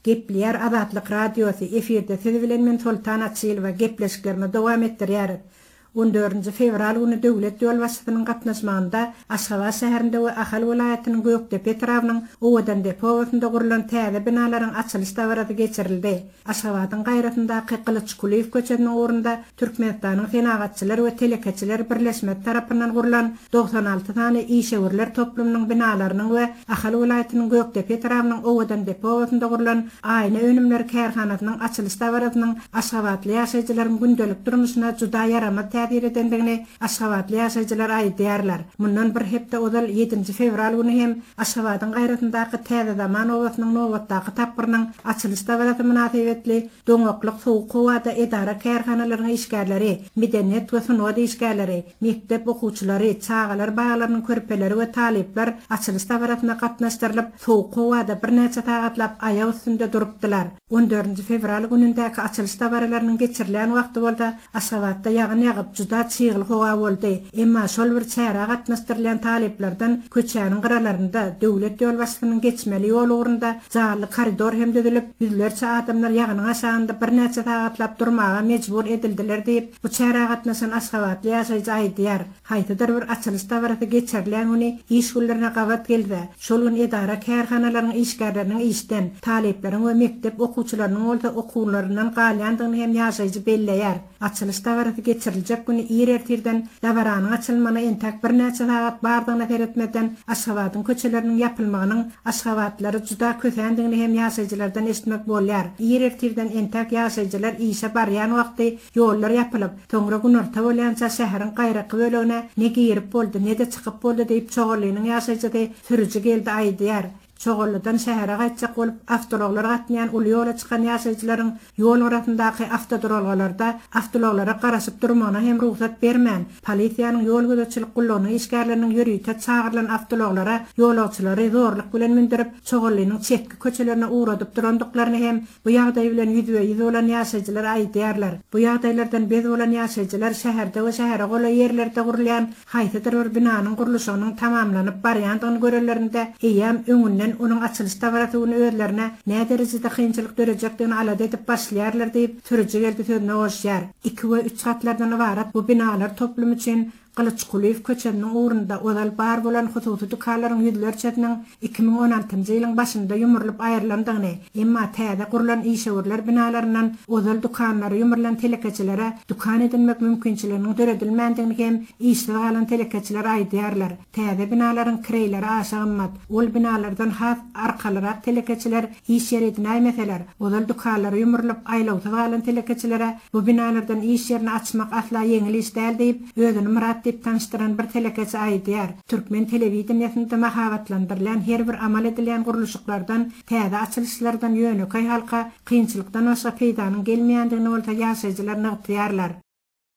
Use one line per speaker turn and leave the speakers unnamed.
Gepleýär Azatlyk Radiosy, efirde siz bilen men Soltan Açylowa, gepleşiklerimizi dowam etdirýäris. On dördünji fewral güni döwlet ýolbaşçysynyň gatnaşmagynda Aşgabat şäherinde we Ahal welaýatynyň Gökdepe etrabynyň Owadandepe obasynda gurlan täze binalaryň açylyş dabarasy geçirildi. Aşgabadyň gaýrasyndaky Gylyç Kulyýew köçesiniň ugrunda Türkmenistanyň Senagatçylar we telekeçiler birleşmesi tarapyndan gurlan 96 sany işewürler toplumynyň binalarynyň we Ahal welaýatynyň Gökdepe etrabynyň Owadandepe obasynda gurlan aýna önümleri kärhanasynyň açylyş dabarasynyň aşgabatly ýaşaýjylaryň gündelik durmuşyna juda ýaramaz täsir edendigini aşgabatly ýaşaýjylar aýdýarlar. Mundan bir hepde ozal ýedinji fewral güni hem Aşgabadyň gaýrasyndaky Täze Zaman obasynyň nobatdaky tapgyrynyň açylyş dabarasy mynasybetli doňaklyk sowuk howada edara-kärhanalaryň işgärleri, medeniýet we sungat işgärleri, mekdep okuwçylary, çagalar baglarynyň körpeleri we talyplar açylyş dabarasyna gatnaşdyrylyp, sowuk howada birnäçe sagatlap aýak üstünde durupdylar. On dördünji fewral günündäki açylyş dabaralarynyň geçirilýän wagty bolsa Aşgabatda ýagyn ýagyp, juda çygly howa boldy. Emma şol bir çärä gatnaşdyrylýan talyplardan köçäniň gyralarynda, döwlet ýolbaşçysynyň geçmeli ýol ugrunda janly koridor hem düzülip, ýüzlerçe adamlar ýagynyň aşagynda birnäçe sagatlap durmaga mejbur edildiler diýip, bu çärä gatnaşan aşgabatly ýaşaýjy aýdýar. Haýsydyr bir açylyş dabarasy geçirilýän güni iş günlerine gabat gelse, şol gün edara-kärhanalaryň işgärleriniň işden, talyplaryň we mekdep okuwçylarynyň bolsa okuwlaryndan galýandygyny hem ýaşaýjy belleýär. Açylyş dabarasy geçiriljek güni ir ertirden dabaranyň açylmagyna entäk birnäçe sagat bardygyna seretmezden Aşgabadyň köçeleriniň ýapylmagynyň aşgabatlylary juda kösändigini hem ýaşaýjylardan eşitmek bolýar. Ir ertirden entäk ýaşaýjylar işe barýan wagty Ýollar ýapylyp, soňra günorta bolýança şäheriň gaýraky bölegine ne girip boldy, ne-de çykyp boldy diýip, Çoganlynyň ýaşaýjysy sürüji Geldi aýdýar. Çoganlydan şähere gaýtjak bolup, awtoulaglar gatnaýan uly ýola çykan ýaşaýjylaryň ýol gyrasyndaky awtoduralgalarda awtoulaglara garaşyp durmagyna hem rugsat bermän, polisiýanyň ýol gözegçilik gullugynyň işgärleriniň ýörite çagyrylan awtoulaglara ýolagçylary zorluk bilen mündürip, Çoganlynyň çetki köçelerine ugradyp durandyklaryny hem Bu ýagdaý bilen ýüzbe-ýüz bolan ýaşaýjylar aýdýarlar. Bu ýagdaýlardan bez bolan ýaşaýjylar şäherde we şähere golaý ýerlerde gurulýan haýsydyr bir binanyň gurluşygynyň tamamlanyp barýandygyny görenlerinde eýýäm öňünden onuň açylyş dabarasy güni özlerine näderejede kynçylyk dörejekdigini alada edip başlaýarlar diýip, sürüji Geldi sözüne goşýar. Iki we üç gatlardan ybarat bu binalar toplumy üçin Gylyç Kulyýew köçesiniň ugrunda ozal bar bolan hususy dükanlaryň ýüzlerçesiniň 2016-njy ýylyň başynda ýumrulyp aýrylandygyny, emma täze gurlan işewürler binalaryndan ozal dükanlary ýumrulan telekeçilere dükan edinmek mümkinçiliginiň döredilmändigini hem işsiz galan telekeçiler aýdýarlar. Täze binalaryň kireýleri aşa gymmat. Ol binalardan has arkalyrak telekeçiler iş ýeri edinäýmeseler, ozal dükanlary ýumrulyp, aýlawsyz galan telekeçilere bu binalardan iş ýerini açmak asla ýeňil iş däl diýip, özüni Myrat diýip tanyşdyran bir telekeçi aýdýar. Türkmen telewideniýesinde mahabatlandyrylýan her bir amal edilýän gurluşyklardan, täze açylyşlardan ýönekeý halka kynçylykdan başga peýdanyň gelmeýändigini bolsa ýaşaýjylar nygtaýarlar.